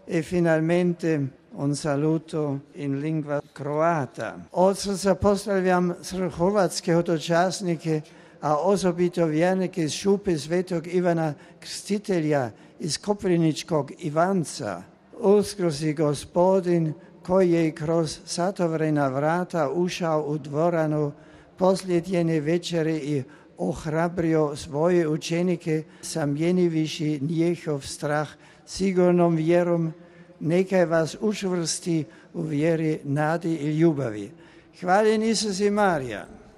e finalmente un saluto in lingua croata. Od srdca pozdravljam hrvatske hodočasnike, a osobito vjernike iz šupe Svetog Ivana Krstitelja iz Koprivničkog Ivanca. Uskrsli Gospodin koji je kroz satovrena vrata ušao u dvoranu posljednje večere i ohrabrio svoje učenike, zamijenivši njihov strah sigurnom vjerom, nekaj vas učvrsti u vjeri, nadi i ljubavi. Hvaljen Isus i Marija.